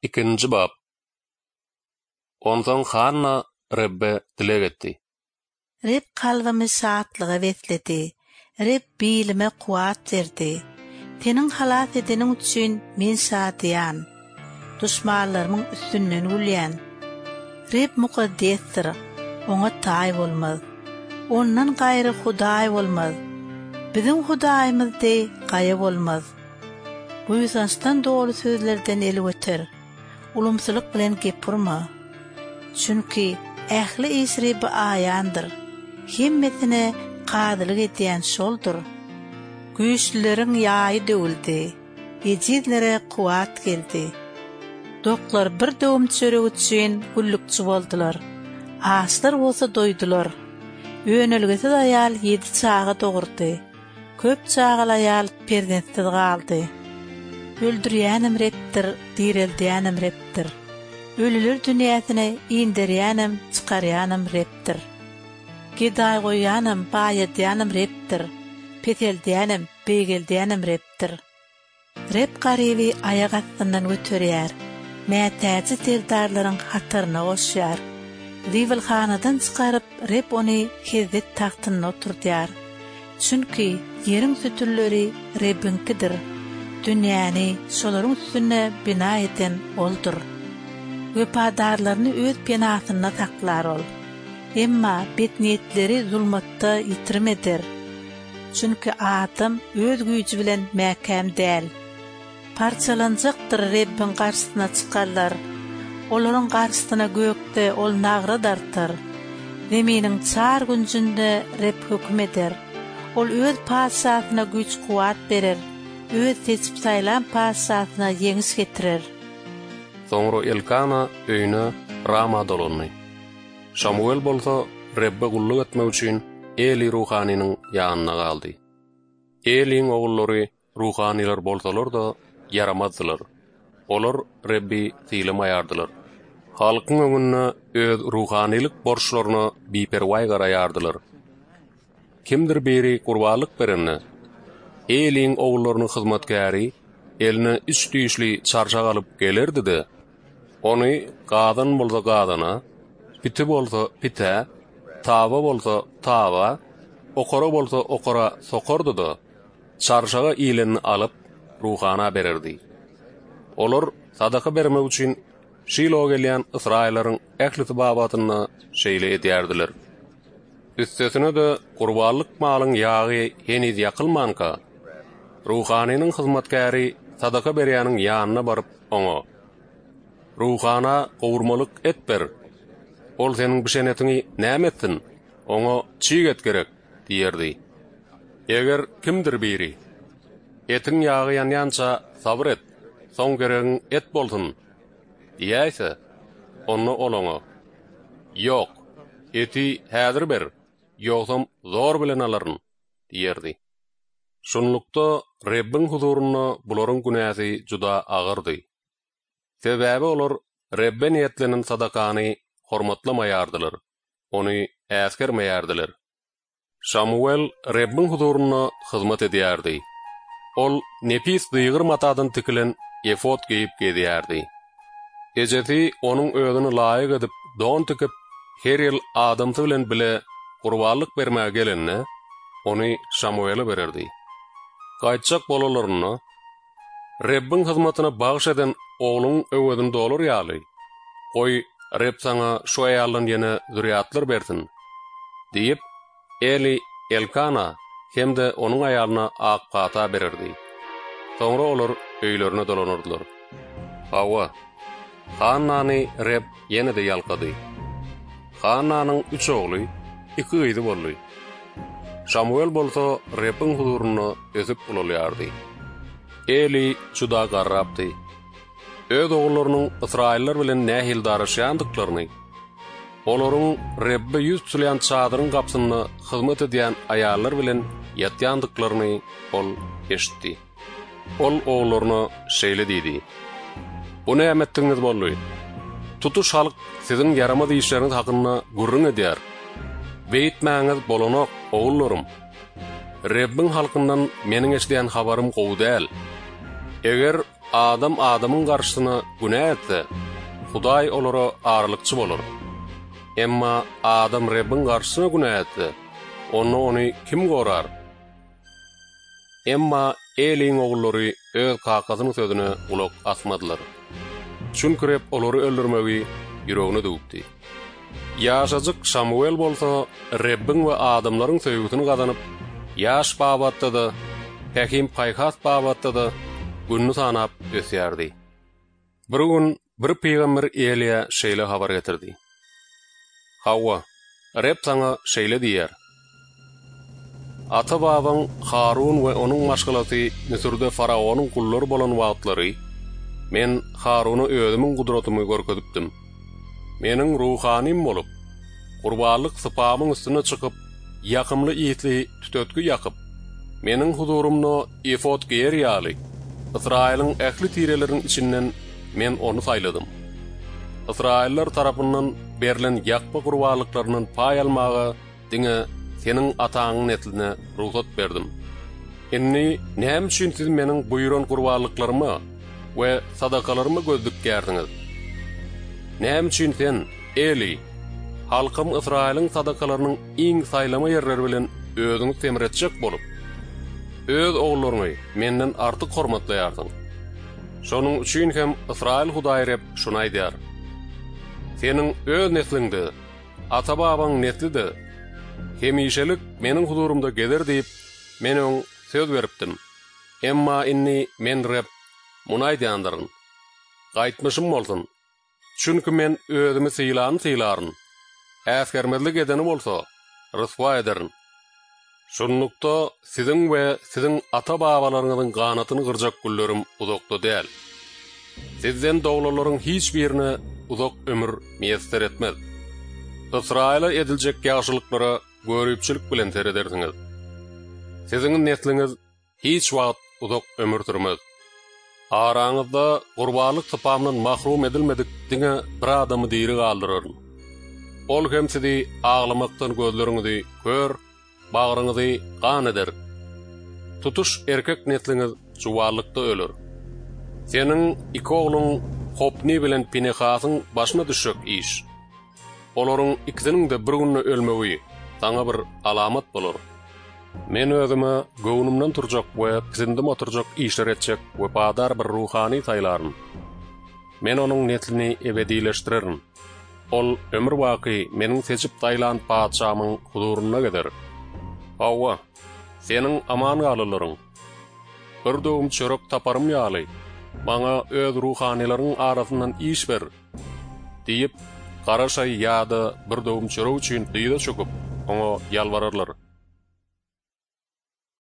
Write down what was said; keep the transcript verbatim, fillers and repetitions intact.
Ikinji bap. Onsoň Hanna Rebbe dileg etdi. Reb kalbymy şatlyga besledi. Reb bilime kuwwat berdi. Seniň halas edeniň üçin men şadyýan. Duşmanlarymyň üstünden gülýän. Reb mukaddesdir, oňa taý bolmaz. Ondan gaýry Hudaý bolmaz. Biziň Hudaýymyz deý gaýa bolmaz. Buýsançdan doly sözlerden el göter. Ulumsylyk bilen gep urma. Çünki ähli iş Rebbe aýandyr. Hemmesine kazylyk edýän şoldur. Güýçlüleriň ýaýy döwüldi. Ejizlere kuwwat geldi. Doklar bir döwüm çörek üçin gullukçy boldular. Açlar bolsa doýdular. Önelgesiz aýal ýedi çaga dogurdy. Köp çagaly aýal perzentsiz galdy. Öldürýänem Rebdir, direldýänem Rebdir. Ölüler dünýäsine inderýänem, çykarýanam Rebdir. Gedaý goýýanam, baýadýanam Rebdir. Peseldýänem, beýgeldýänem Rebdir. Reb garyby aýak astyndan göterýär. Mätäji serdarlaryň hataryna goşýar. Zibilhanadan çykaryp, Reb ony hezzet tagtynda oturdýar. Çünki ýeriň sütünleri Rebbiňkidir. Dünýäni şolaryň üstünde bina eden Oldur. Wepadarlaryny öz penasynda saklar ol. Emma betniýetleri zulmatda ýitirim eder. Çünki adam öz güýji bilen mäkäm däl. Parçalanjakdyr Rebbiň garşysyna çykarlar. Olaryň garşysyna gökde ol nagra dartar. Zeminiň çar günjünde Reb höküm eder. Ol öz patyşasyna güýç kuwwat berer. Öz seçip saýlan patyşasyna ýeňiş getirer. Soňra Elkana öýüne Rama dolandy. Şamuwel bolsa Rebbe gulluk etmek üçin Eli ruhanynyň ýanynda galdy. Eliň ogullary ruhanylar bolsalar-da ýaramazdylar. Olar Rebbi sylamaýardylar. Halkyň öňünde öz ruhanylyk borçlaryna biperwaý garaýardylar. Kimdir biri gurbanlyk berende, Eliň ogullarynyň hyzmatkäri eline üç düýşli çarşak alyp gelerdi-de, ony gazan bolsa gazana, piti bolsa pitä, taba bolsa taba, okara bolsa okara sokardy-da, çarşaga ilenini alyp ruhana bererdi. Olar sadaka bermek üçin Şilo gelýän Ysraýyllaryň ählisi babatynda şeýle edýärdiler. Üstesine-de gurbanlyk malyň ýagy heniz ýakylmanka, ruhanynyň hyzmatkäri sadaka berýäniň ýanyna baryp oňa: "Ruhana gowurmalyk et ber. Ol seniň bişen etiňi näme etsin? Oňa çig et gerek" diýerdi. Eger kimdir biri: "Etiň ýagy ýanýança sabyr et, soň geregiň et bolsun" diýäýse, onda ol oňa: "Ýok, eti häzir ber, ýogsam zor bilen alaryn" diýerdi. Şunlukda Rebbiň huzurynda bularyň günäsi juda agyrdy. Sebäbi olar Rebbe niýetlenen sadakany hormatlamaýardylar, ony äsgermeýärdiler. Şamuwel Rebbiň huzurynda hyzmat edýärdi. Ol nepis zygyr matadan tikilen efot geýip gezýärdi. Ejesi onuň özüne laýyk edip don tikip, her ýyl adamsy bilen bile gurbanlyk bermäge gelende, ony Şamuwele bererdi. Gaýtjak bolalarynda, Rebbiň hyzmatyna bagyş eden ogluň öwezini dolar ýaly, goý Reb saňa şu aýaldan ýene zürýatlar bersin diýip, Eli Elkana hem-de onuň aýalyna ak pata bererdi. Soňra olar öýlerine dolanardylar. Hawa, Hannany Reb ýene-de ýalkady. Hannanyň üç ogly, iki gyzy boldy. Şamuwel bolsa Rebbiň huzurynda ösüp ulalýardy. Eli juda garrapdy. Öz ogullarynyň ysraýyllar bilen nähili daraşýandyklaryny, olaryň Rebbe ýüz tutulýan çadyryň gapysynda hyzmat edýän aýallar bilen ýatýandyklaryny ol eşitdi. Ol ogullaryna şeýle diýdi: "Bu näme etdigiňiz boldy? Tutuş halk siziň ýaramaz işleriňiz hakynda gürrüň edýär. Beýtmäňiz bolanok, ogullarym. Rebbiň halkyndan meniň eşidýän habarym gowy däl. Eger adam adamyň garşysyna günä etse, Hudaý olara aralykçy bolar. Emma adam Rebbiň garşysyna günä etse, onda ony kim gorar? Emma Eliň ogullary öz kakasynyň sözüne gulak asmadylar. Çünki Reb olary öldürmegi ýüregine düwüpdi. Ýaşajyk Şamuwel bolsa Rebbiň we adamlaryň söýgüsini gazanyp, ýaş babatda-da, pähim-paýhas babatda-da gününi sanap ösýärdi. Bir gün bir pygamber Eliýa şeýle habar getirdi. Hawa, Reb saňa şeýle diýýär. Ata-babaň Harun we onuň maşgalasy Müsürde faraonyň gullary bolan wagtlary men Haruna özümiň gudratymy görkezipdim. Meniň ruhanym bolup, gurbanlyk sypamyň üstüne çykyp, ýakymly ýitli tütetgi ýakyp, meniň huzurymda efot geýer ýaly, Ysraýylyň ähli tireleriniň içinden men ony saýladym. Ysraýyllar tarapyndan berlen ýakma gurbanlyklaryndan paý almaga diňe seniň ataňyň nesline rugsat berdim. Indi näme üçin siz meniň buýran gurbanlyklaryma we sadakalaryma göz dikýärsiňiz? Näme üçin sen, Eli, halkym Ysraýylyň sadakalarynyň iň saýlama ýerleri bilen özüňi semretjek bolup, öz ogullaryňy menden artyk hormatlaýarsyň? Şonuň üçin hem Ysraýyl Hudaýy Reb şuny aýdýar: Seniň öz nesliňde, ata-babaň nesli-de hemişelik meniň huzurymda gezer diýip, men öň söz beripdim. Emma indi men Reb muny aýdýandyryn. Gaýtmyşym bolsun. Çünki men özümi sylany sylaryn. Äsgermezlik edeni bolsa, ryswa ederin. Şunlukda siziň we siziň ata-babalaryňyzyň ganatyny gyrjak günlerim uzakda däl. Sizden doglanlaryň hiç birine uzak ömür miýesser etmez. Ysraýyla ediljek ýagşylyklara görüpçilik bilen seredersiňiz. Siziň nesliňiz hiç wagt uzak ömür sürmez. Araňyzda gurbanlyk sypamdan mahrum edilmedik diňe bir adamy diri galdyraryn. Ol hem sizi aglamakdan gözleriňizi kör, bagryňyzy gan eder. Tutuş erkek nesliňiz juwallykda öler. Seniň iki ogluň Hopni bilen Pinehasyň başyna düşjek iş. Olaryň ikisiniň de bir günde ölmegi saňa bir alamat bolar. Men özüme göwnümden turjak we pisindim oturjak işler etjek wepadar bir ruhany saýlaryn. Men onuň neslini ebedileşdirerin. Ol ömür baky meniň seçip saýlan patyşamyň huzurynda gezer. Hawa, seniň aman galylaryň. Bir döwüm çörek taparym ýaly, maňa öz ruhanylaryň arasyndan iş ber diýip, gara şaý ýa-da bir döwüm çörek üçin dyza çöküp, oňa ýalbararlar.